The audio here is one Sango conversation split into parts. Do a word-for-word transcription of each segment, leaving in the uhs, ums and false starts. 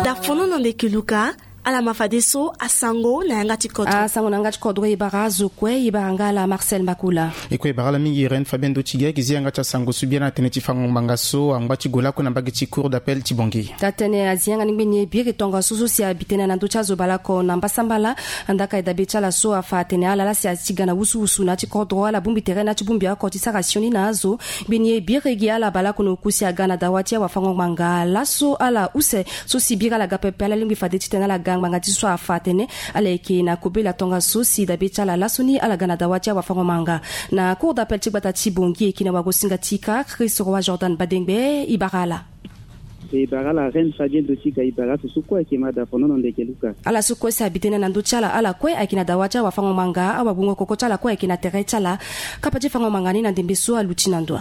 Dafonono ndeke luka. Ala ma fadeso asango na yanga ti kodro. Asango na yanga ti kodro e bara azo kue, e bara nga ala Marcel Makula. E kue e bara ala mingi Irène Fabien Dotiga, e ke zi yanga ti asango so biani na tënë ti fango ngbanga so angba ti gue lakue na mbage ti Cour d'appel ti Bangui. Taa-tënë azi yanga ni ngbeni e biri tongaso so si abi tënë na ndö ti azo baleoko na mbasambala. Andaa ka e dabe ti ala so afa atene ala laa si azi ti ga na wusuwusu na ya ti kodro, ala bongbi tere na ya ti bongbi oko ti sara sioni na azo. Ngbeni e biri gi ala baleoko na oku si aga na dawa ti awafango-ngbanga laso ala use. So si biri ala ga pepe, ala lingbi fade titene ala ga ngbanga ti so afa atene ala yeke na kobela tongaso si dabe ti ala laso ni ala ga na dawa ti awafango-ngbanga na Cour d'appel ti gbata ti Bangui. E yeke na wagosinga ti ka Chris Roi Jordan Badengbe, e bara ala. E bara ala Reine Fabien Dotiga, e bara aso so kue ayeke ma dafonono ndeke luka. Ala so kue si abi tënë na ndö ti ala, ala kue ayeke na dawa ti awafango-ngbanga, awagbungo koko ti ala kue ayeke na tere ti ala. Kapa ti fango-ngbanga ni na ndembe so aluti na ndo.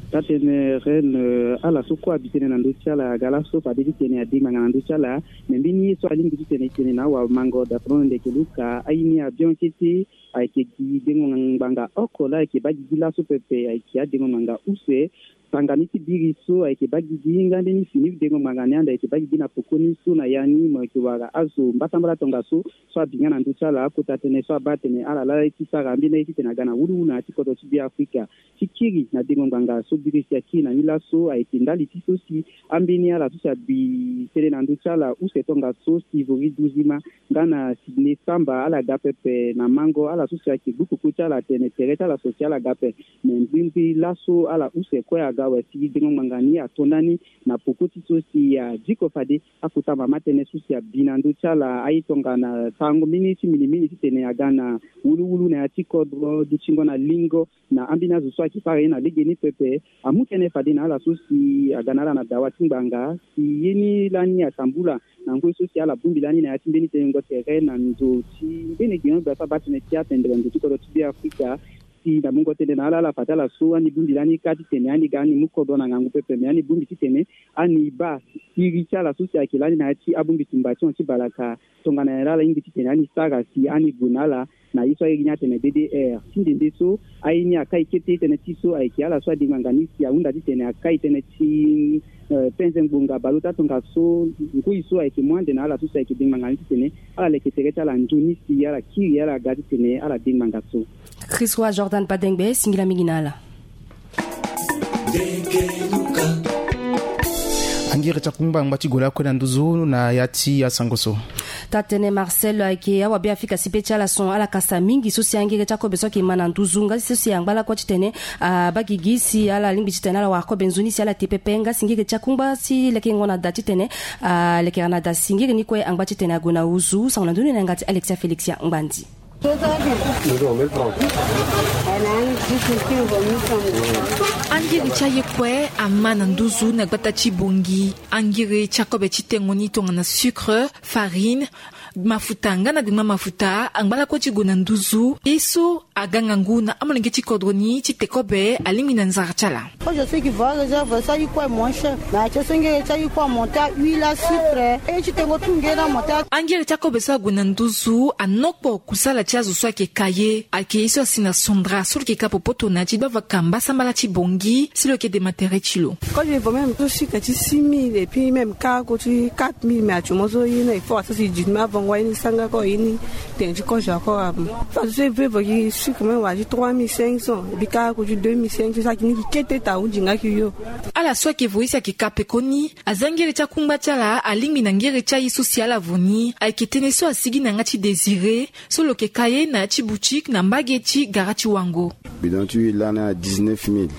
Taa-tënë Reine, eh, ala so kue abi tënë na ndö ti ala aga laso fade titene ade ngbanga na ndö ti ala. Me mbeni ye so alingbi titene e tene na awamango dafonono ndeke luka, aye ni abion kete, ayeke gi dengo ngbanga oko laa ayeke baa gigi laso pepe, ayeke adengo ngbanga use. Sanga ni ti biri so ayeke baa gigi nga mbeni fini dengo ngbanga ni ande ayeke baa gigi na pokoni so na ya ni mo yeke wara azo mbasambala tongaso so abi nga na ndö ti ala akota tënë so abaa atene ala laa ye ti sara ambeni aye titene aga na wuluwulu na ya ti kodro ti Beafrika. Ti kiri na dengo ngbanga so biri si akiri na ni laso ayeke ndali ti so si ambeni ala so si abi tënë na ndö ti ala use tongaso si Vori Duzima nga na Sydney Samba, ala ga pepe na mango, ala so si ayeke gbu koko ti ala atene tere ti ala so si ala ga ape. Me ngbingbi laso ala use kue aga awe si dengo ngbanga ni ato ndani na poko ti so si adiko fade akota mama tënë so si abi na ndö ti ala aye tongana sarango mbeni ti minimini titene aga na wuluwulu na ya ti kodro, dutingo na lingo na ambeni azo so ayeke sara ye na legeni pepe. Amu tënë fade na ala so si aga na ala na dawa ti ngbanga si ye ni lani atambula na ngoi so si ala bongbi lani na ya ti mbeni tenengo tere na ndo ti mbeni geno gbia so abaa tënë ti atendere ndo ti kodro ti Beafrika. Si na mungo tënë na ala, ala fa ti ala so ani bongbi lani kâ titene ani ga ani mu kodro na ngangu pepe, me ani bongbi titene ani baa siriri ti ala so si ayeke lani na ya ti abongbi tumba ti hon ti balaka. Tongana nyen laa ala lingbi titene ani sara si ani gue na ala na ye so airi ni atene D D R. Ti nde nde so aye ni akai kete tënë ti so ayeke ala so ade ngbanga ni si ahunda titene akai tënë ti, eh, penze ngbonga baleota tongaso ngoi so ayeke mu ande na ala so si ayeke de ngbanga ni titene ala leke tere ti ala nzoni si ala kiri ala ga titene ala de ngbanga so. Chris Roi Jordan Badengbe, singila mingi na ala. Angere ti akungba angba ti gue lakue na nduzu na ya ti asango so. Taa-tënë Marcel, ayeke awabeafrika si be ti ala son ala kasa mingi so si angere ti akobe so ayeke ma na nduzu nga so si angba lakue titene abaa gigi si ala lingbi titene ala wara kobe nzoni si ala te pepe nga si ngere ti akungba ti lekengo na da titene alekera na da si ngere ni kue angba titene ague na nduzu. Sango na ndoni na yanga ti Alexia Félixia Ngbandi. Angiri ti aye kue ama na nduzu na gbata ti Bangui. Angiri ti akobe ti tengo ni tongana sucre, farine, mafuta nga na gbengba mafuta angba lakue ti gue na nduzu. Ye so aga ngangu na amolenge ti kodro ni ti te kobe alingbi na nzara ti ala. Quand je sais qu'il va réserve ça, il coûte moins cher. Mais tu sais, il coûte monter à huit la sucre. Et tu t'es retrouvé dans mon tas. Angiri ti akobe so ague na nduzu anokpo kusala ti azo so ayeke ka ye. Ayeke ye so asi na sondra so lo yeke ka popoto na ya ti gbavaka mbasambala ti Bangui si lo yeke dema tere ti lo. Quand je vois même tout sucre ti six mille et puis même kâ ko ti quatre mille, mais actuellement so ye na effort so si dix mille avant wa ye ni sanga ko ye ni tene ti kozo ako amo. Fa so e ve vo ki sucre même wa ti trois mille cinq cents et puis kâ ko ti deux mille cinq cents, sa ki ni ki kete ta hundi nga ki yo. Ala so ayeke vo ye si ayeke ka pekoni. Aza ngere ti akungba ti ala alingbi na ngere ti aye so si ala vo ni. Ayeke tënë so asigi na yanga ti Désiré so lo yeke ka ye na ya ti boutique na mbage ti gara ti wango. Bidon ti huile lani a dix-neuf mille.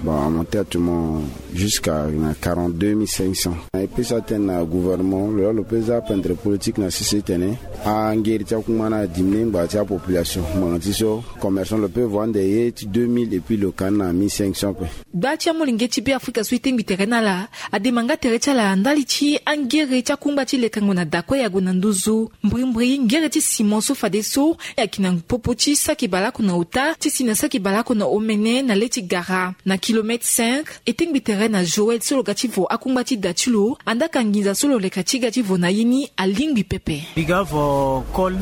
Bon, amonté actuellement jusqu'à na quarante-deux mille cinq cents. Na e pesa tënë na gouvernement lo laa lo pe za apendre politique na sese tene angeri ti akungba ni adiminué ngbanga ti apopulation. Ngbanga ti so commerçant lo pe vo ande ye ti deux mille et puis lo ka ni na mille cinq cents pe. Gba ti amolenge ti Beafrika so e tengbi tere na ala adema nga tere ti ala ndali ti angere ti akungba ti lekango na da kue e ague na nduzu. Mbrimbri ngere ti ciment so fadeso ayeke na popo ti saki baleoko na ota ti si na saki baleoko na omene na le ti gara na kilomètre cinq. E tengbi tere na Joël so lo ga ti vo akungba ti da ti lo. Andaa ka nginza so lo leka ti ga ti vo na ye ni alingbi pepe. E ga vo kol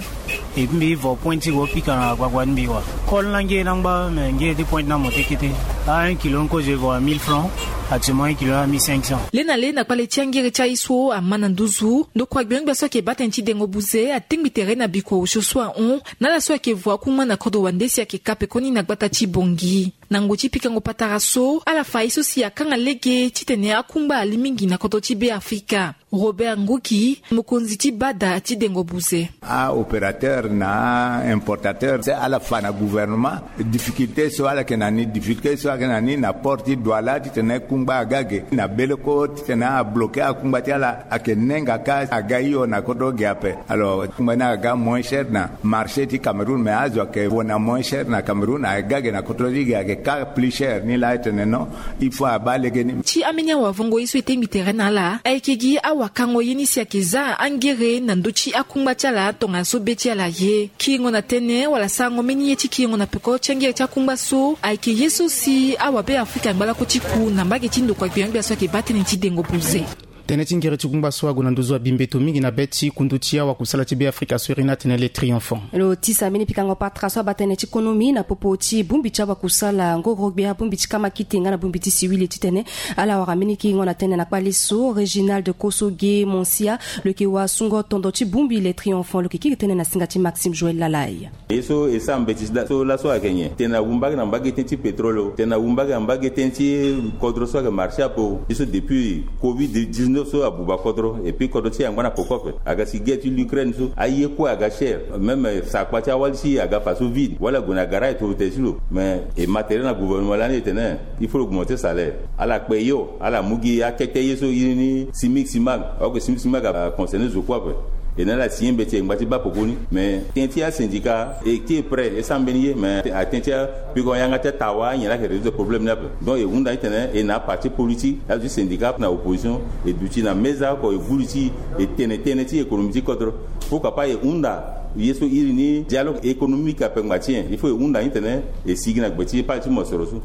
E mbi vo point ti gue pika na gbagba ni mbi wa. Kol na nge na ngba me nge ti point na mo te kete. A un kilo nkozo e vo à mille francs. Actuellement un kilo na mille cinq cents. Le na le na kpale ti angere ti aye so ama na nduzu ndokua gbengbe so ayeke baa tënë ti dengo buze atingbi tere na bikua osio so ahon na ala so ayeke vo akungba na kodro wande si ayeke ka pekoni na gbata ti Bongi. Na ngoi ti pikango patara so ala fa ye so si akanga lege titene akungba ali mingi na kodro ti Be Afrika. Robert Nguki, mokonzi ti bada ti dengo buze. Aopérateur na importateur si ala fa na gouvernement. Difficulté so ala yeke na ni difficulté so ala yeke na ni na port ti Douala titene kungba aga ge na beleko titene abloke akungba ti ala ayeke nenga ka aga hio na kodro ge ape. Alors kungba ni aga moins cher na marché ti Cameroun mais azo ayeke vo na moins cher na Cameroun aga ge na kodro ti ge ayeke ka plus cher ni laa e tene non. Il faut abaa legeni. Ti ambeni awavango ye so e tengbi tere na ala ayeke gi awakango ye ni si ayeke za angere na ndö ti akungba ti ala tongana so be ti ala ye kiringo na tënë wala sarango mbeni ye ti kiringo na peko ti angere ti akungba so ayeke ye so si awabe Afrika angba lako ti ku na mbage ti ndokua gbengbe so ayeke baa tënë ti dengo buze. Tënë ti ngere ti kungba so ague na nduzu abi mbeto mingi na be ti kundu ti awakusala ti Be Afrika so iri ni atene le Triomphant. Lo tisa mbeni pikango patara so abaa tënë ti konomi na popo ti bongbi ti awakusala ngorogbe abongbi ti kamakite nga na bongbi ti siwili titene ala wara mbeni kiringo na tënë na kpale so. Réginald Kosoge Monsia lo yeke wasungo tondo ti bongbi le Triomphant lo yeke kiri tënë na singa ti Maxime Joël Lalai. Ye so e sara mbeti so laso ayeke nyen? Tene awumbage na mbage tënë ti pétrole o, tene awumbage na mbage tënë ti kodro so ayeke marché ape o. Ye so depuis covid dix-neuf so abuba kodro et puis kodro ti e angba na poko ape. Aga si guerre ti l'Ukraine so aye kue aga cher. Même sakpa ti awali ti e aga fa so vide wala ague na garage toro tene ti lo. Mais e ma tere na gouvernement lani e tene il faut lo augmenter salaire. Ala kpe yo ala mu gi akete ye so iri ni simic simac. Oko simic simac aconcerné zo kue ape. E na ala signé mbeti e ngba ti baa poko ni. Mais tënë ti asyndicat e kiri prêt e sara mbeni ye mais atënë ti apiko yanga ti atawa anyen laa ayeke résoudre problème ni ape. Donc e hunda titene e na aparti politique azo ti syndicat na opposition e duti na meza oko e vuli ti e tene tënë ti économie ti kodro. Pourquoi pas e hunda ye so iri ni dialogue économique ape ngba ti e. Il faut e hunda ni titene e sigi na gbe ti pale ti mosoro so.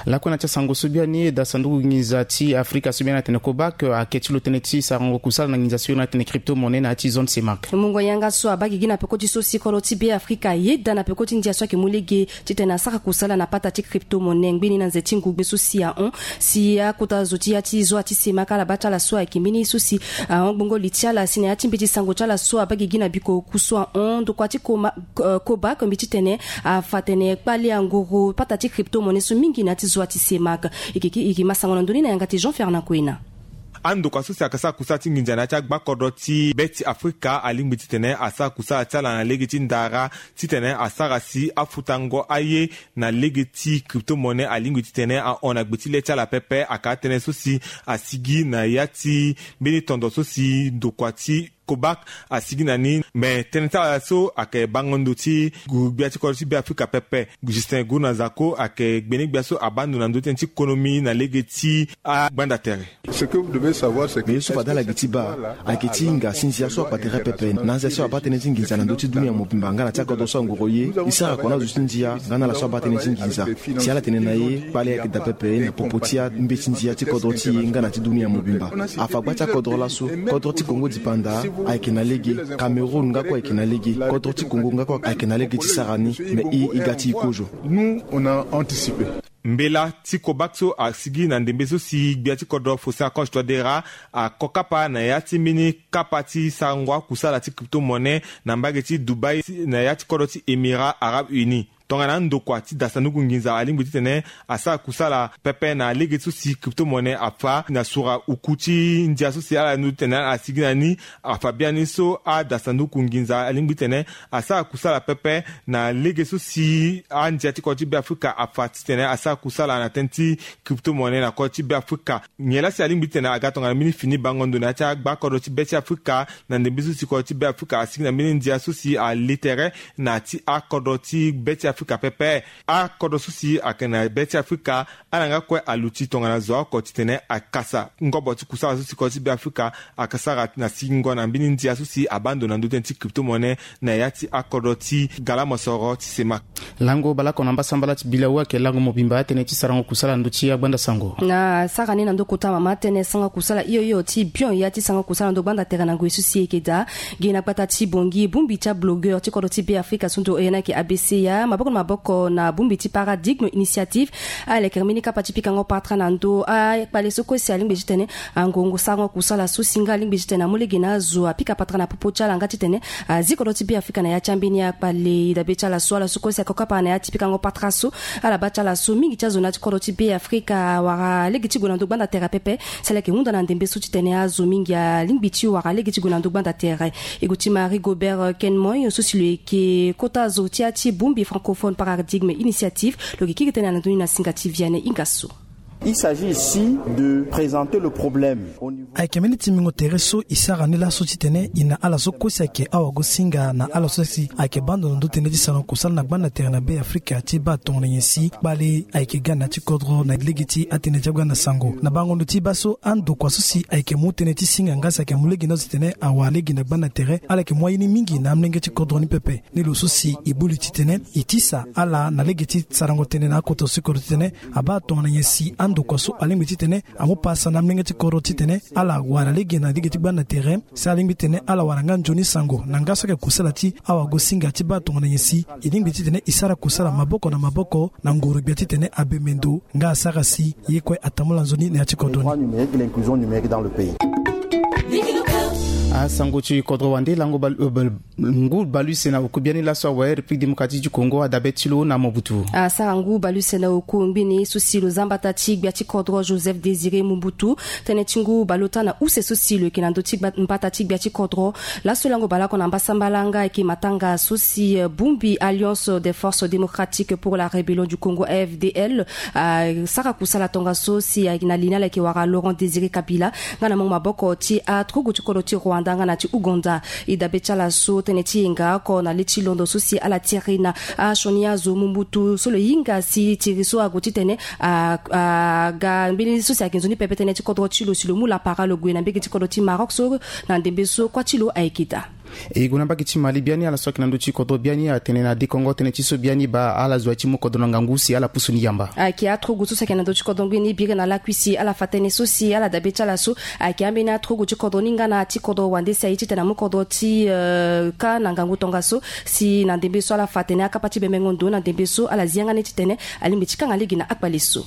Lakue na ti asango so biani da sanduku nginza ti Afrika so biani atene COBAC ayeke ti lo tënë ti sarango kusala na nginza so iri ni atene crypto-monnaie na ya ti zone CEMAC. Mungo yanga so abaa gigi na peko ti so si kodro ti Be Afrika ayeda na peko ti ndia so ayeke mu lege titene asara kusala na pata ti crypto-monnaie ngbeni na nze ti ngugbe so si ahon. Si akota zo ti ya ti zo ya ti CEMAC ala baa ti ala so ayeke mbeni so si ahon gbongo li ti ala si na ya ti mbeti sango ti ala so abaa gigi na biko oku so ahon ndokua ti koma COBAC mbi titene afa tene kpale angoro pata ti crypto-monnaie so mingi na ya ti zo ya ti CEMAC. E yeke ma sango na ndö ni na yanga ti Jean Fernand Koena. Andokua so si ayeke sara kusala ti nginza na ya ti agbakodro ti be ti Afrika alingbi titene asara kusala ti ala na lege ti ndara titene asara si afutango aye na lege ti crypto-monnaie alingbi titene ahon na gbe ti le ti ala pepe. Ayeke atënë so si asigi na ya ti mbeni tondo so si ndokua ti COBAC asigi na ni. Me tënë ti ala so ayeke bango ndo ti gbia ti kodro ti Be Afrika pepe. Justin Guna Zako ayeke gbene gbia so abaa ndo na ndö ti tënë ti konomi na lege ti agbanda tere. Me ye so fade ala gi ti baa ayeke ti hinga si nzia so akpa tere pepe na anzia so abaa tënë ti nginza na ndö ti dunia mobimba nga na ti akodro so angoro ye. E sara kua na azo ti nzia nga na ala so abaa tënë ti nginza. Si ala tene na e kpale ayeke daa pepe na popo ti ambeti nzia ti kodro ti e nga na ti dunia mobimba. Afa gba ti akodro laso. Kodro ti Kongo dipanda ayeke na lege. Cameroun nga kue ayeke na lege. Kodro ti Kongo nga kue ayeke na lege ti sara ni. Me e e ga ti e kozo. Mbela ti COBAC so asigi na ndembe so si gbia ti kodro Faustin Archange Touadéra ako kapa na ya ti mbeni kapa ti sarango akusala ti crypto-monnaie na mbage ti Dubaï na ya ti kodro ti Émirats Arabes Unis. Tongana andokua ti da sanduku nginza alingbi titene asara kusala pepe na lege so si crypto-monnaie afa na sura oku ti ndia so si ala ndu titene ala sigi na ni. Afa biani so ada sanduku nginza alingbi titene asara kusala pepe na lege so si andia ti kodro ti Be Afrika afa titene asara kusala na tënë ti crypto-monnaie na kodro ti Be Afrika. Nyen laa si alingbi titene aga tongana mbeni fini bango ndo na ya ti agbakodro ti be ti Afrika na ndembe so si kodro ti Be Afrika asigi na mbeni ndia so si ale tere na ya ti akodro ti be ti Afrika pepe. Akodro so si ayeke na be ti Afrika, ala nga kue aluti tongana zo oko titene akasa ngobo ti kusala so si kodro ti Be Afrika ayeke sara na singo na mbeni ndia so si abaa ndo na ndö tënë ti crypto-monnaie na ya ti akodro ti gala mosoro ti semak. Lango baleoko na mbasambala ti Bilawu ayeke lango mobimba atënë ti sarango kusala na ndö ti agbanda sango. Na sara ni na ndö kota mama tënë sarango kusala hio hio ti bion ya ti sarango kusala na ndö gbanda tere na ngoi so si e yeke daa. Gi na gbata ti Bangui, bongbi ti ablogueur ti kodro ti Be Afrika so ndo oyo ni ayeke A B C ya, maboko na maboko na bongbi ti Paradigme Initiative, aleke mbeni kapa ti pikango patara na ndö akpale so kue si alingbi titene angongo sarango kusala so si nga alingbi titene amu lege na azo apika patara na popo ti ala nga titene azi kodro ti Be Afrika na ya ti ambeni akpale. E dabe ti ala so, ala so kue si ako kapa na ya ti pikango patara so, ala baa ti ala so mingi ti azo na ya ti kodro ti Be Afrika awara lege ti gue na ndö gbanda tere pepe. Si ala yeke hunda na ndembe so titene azo mingi alingbi ti wara lege ti gue na ndö gbanda tere. E gue ti Marie Gobert Kenmoy so si lo yeke kota zo ti ya ti bongbi Francophone Paradigme Initiative, lo yeke kiri tënë na ndö ni na singa ti Vianney Ingasso. Il s'agit ici de présenter le problème au niveau. Ayeke mbeni timbingo tere so e sara ni laso titene e na ala so kue si ayeke awagosinga na ala so si ayeke baa ndo na ndö tënë ti sarango kusala na gbanda tere na Be Afrika ti baa tongana nyen si kpale ayeke ga na ya ti kodro na lege ti atënë ti agbanda sango. Na bango ndo ti baa so andokua so si ayeke mu tënë ti singa nga si ayeke mu lege ni azo titene awara lege na gbanda tere, ala yeke mu aye ni mingi na amolenge ti kodro ni pepe. Ni lo so si e buli titene e tisa ala na lege ti sarango tënë na akota so e kodro titene abaa tongana nyen si andokua so alingbi titene amu pasa na amolenge ti kodro titene ala wara lege na lege ti gbanda tere. Si alingbi titene ala wara nga nzoni sango na nga so ayeke kusala ti awagosinga ti baa tongana nyen si e lingbi titene e sara kusala maboko na maboko na nguru-gbia titene abembe ndo nga asara si ye kue atambula nzoni na ya ti kodro ni. Droit numérique, l'inclusion numérique dans le pays. Asango ti kodro wande lango bal- euh, bal- ngu baleuse na oku biani laso awe République Démocratique du Congo adabe ti lo na Mobutu. Asara ngu baleuse na oku ngbene so si lo za mbata ti gbia ti kodro Joseph Désiré Mobutu. Tënë ti ngu baleota na use so si lo yeke na ndö ti gba- mbata ti gbia ti kodro. Laso lango baleoko na mbasambala nga ayeke matanga so si, euh, bongbi Alliance des Forces Démocratiques pour la Rébellion du Congo, A F D L, asara kusala tongaso si ayeke na li ni ala yeke wara Laurent Désiré Kabila nga na mungo maboko ti aturugu ti kodro ti Rwanda nga na ti Ouganda. E dabe ti ala so tënë ti yenga oko na le ti londo so si ala tiri na asioni azo Mobutu so lo hinga si tiri so ague titene a- aga mbeni so si ayeke nzoni pepe tënë ti kodro ti lo si lo mu lapara lo gue na mbege ti kodro ti Maroc so na ndembe so kuâ ti lo ayeke daa. E gue na mbage ti Mali biani, ala so ayeke na ndö ti kodro biani atene na dekongo tënë ti so biani baa ala zo aye ti mu kodro na ngangu si ala pusu ni yamba. Ayeke aturugu so si ayeke na ndö ti kodro ngbeni biri na lakui si ala fa tënë so si ala dabe ti ala so ayeke ambeni aturugu ti kodro ni nga na ti kodro wande si aye titene amu kodro ti, euh, kâ na ngangu tongaso si na ndembe so ala fa atene akapa ti bembengo ndo na ndembe so ala zi yanga ni titene alingbi ti kanga lege na akpale so.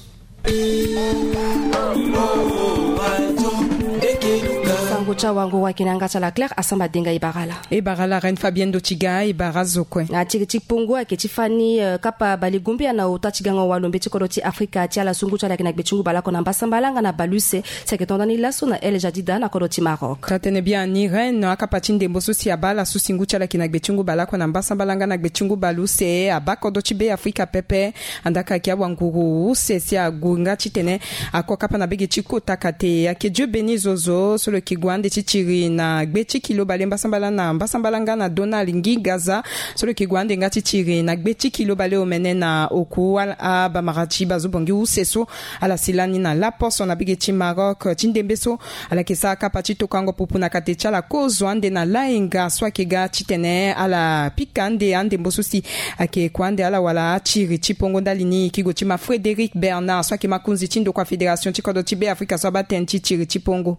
Sango ti awanguru ayeke na yanga ti ala Claire Asamba Denga. E bara ala. E bara ala Reine Fabienne Dotiga, e bara azo kue. Na tiri ti pongo ayeke ti fani, euh, kapa balegumbia na ota ti gango walombe ti kodro ti Afrika ti ala so ngu ti ala ayeke na gbe ti ngu baleoko na mbasambala nga na baleuse si ayeke tonda ni laso na El Jadida na kodro ti Maroc. Taa-tënë biani Reine, akapa ti ndembo so si abaa ala so si ngu ti ala ayeke na gbe ti ngu baleoko na mbasambala nga na gbe ti ngu baleuse abaa kodro ti Be Afrika pepe. Andaa ka ayeke awanguru use si ague nga titene ako kapa na bege ti kota kate. Ayeke Dieu Béni Zozo so lo yeke gue ande ti tiri na gbe ti kilo bale mbasambala na mbasambala nga na Donald Ngingaza so lo yeke gue ande nga ti tiri na gbe ti kilo bale omene na oku abamara ti bazo bongi use so ala si lani na laposo na bege ti Maroc. Ti ndembe so ala yeke sara kapa ti tokango pupu na kate ti ala kozo ande na lainga so ayeke ga titene ala pika ande andembo so si ayeke kue ande ala wala atiri ti pongo. Ndali ni e yeke gue ti ma Frédéric Bernard so ayeke makonzi ti ndokua fédération ti kodro ti Be Afrika so abaa tënë ti tiri ti pongo.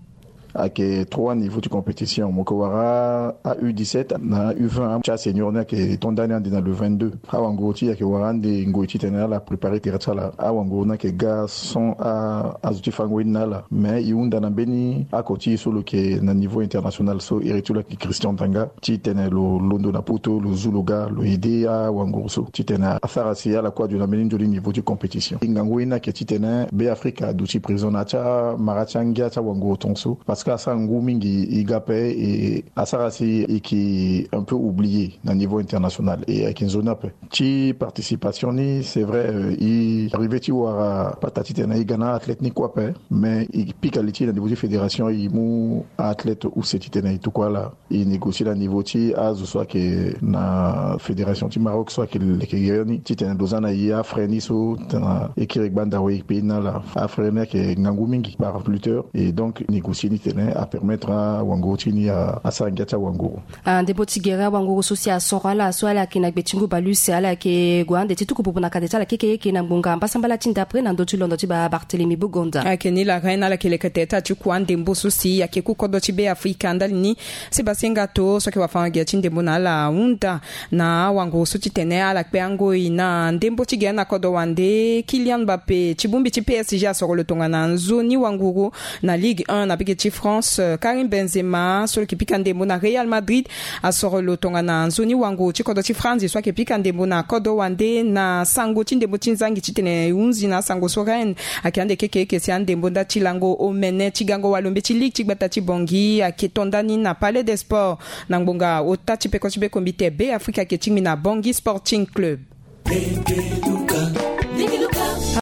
Ayeke trois niveaux ti compétition. Mo yeke wara a U dix-sept na U vingt ti asenior ni ayeke to ndani ande na le vingt-deux. Awanguru ti e ayeke wara ande ngoi titene ala préparer tere ti ala. Awanguru ni ayeke ga sans a- azo ti fango ye ni na ala. Mais e hunda na mbeni ako ti e so lo yeke na niveau international so iri ti lo ayeke Christian Danga titene lo londo na poto, lo zu lo ga, lo aider awanguru so titene asara si ala kue aduti na mbeni nzoni niveau ti compétition. E ngangu ye ni ayeke titene Be Afrika aduti présent na ya ti amara ti angia ti awanguru tongaso parce que Pe asara ngu mingi, e ga pe, e asara si e yeke un peu oublié na niveau international, e ayeke nzoni ape. Ti participation ni, c'est vrai, euh, e arrivé ti wara pata titene e ga na athlète ni kue ape. Mais e pika li ti na niveau ti fédération, e mu athlète use titene e tuku ala. E négocier na niveau ti azo so ayeke na fédération ti Maroc so ayeke leke gere ni titene lo za na e afrais ni so tena e kiri gbanda wa e pays ni ala. Afrais ni ayeke ngangu mingi par lutteur. Et donc négocier ni titene apermettre awanguru ti ni a- asara ngia ti awanguru. Ah, ndembo ti gere awanguru so si asoro ala so ala yeke na gbe ti ngu baleuse, ala yeke gue ande ti tuku bubu na kade ti ala kekeyeke na ngbonga mbasambala ti ndapre na ndö ti londo ti Ba- Barthélemy Bugonda. Ayeke ni la reine, ala yeke leke teta ti kua ndembo so si ayeke ku kodro ti Be Afrika ndali ni. Si basenga to so ayeke wafango-gi ti ndembo na ala ahunda na awanguru so titene ala kpe angoi na ndembo ti gere na kodro wande. Kylian Mbappé ti bongbi ti P S G asoro lo tongana nzoni wanguru na Ligue un na mbage ti France. Karim Benzema so lo yeke pika ndembo na Real Madrid asoro lo tongana nzoni wanguru ti kodro ti France so ayeke pika ndembo na kodro wande na sango ti ndembo ti nzangi titene e hunzi na asango so Rennes ayeke ande kekeyeke si andembo nda ti lango omene ti gango walombe ti Ligue ti gbata ti Bangui ayeke to ndani na Palais des Sports na ngbonga ota ti peko ti be kombite Be Afrika ayeke tingbi na Bangui Sporting Club.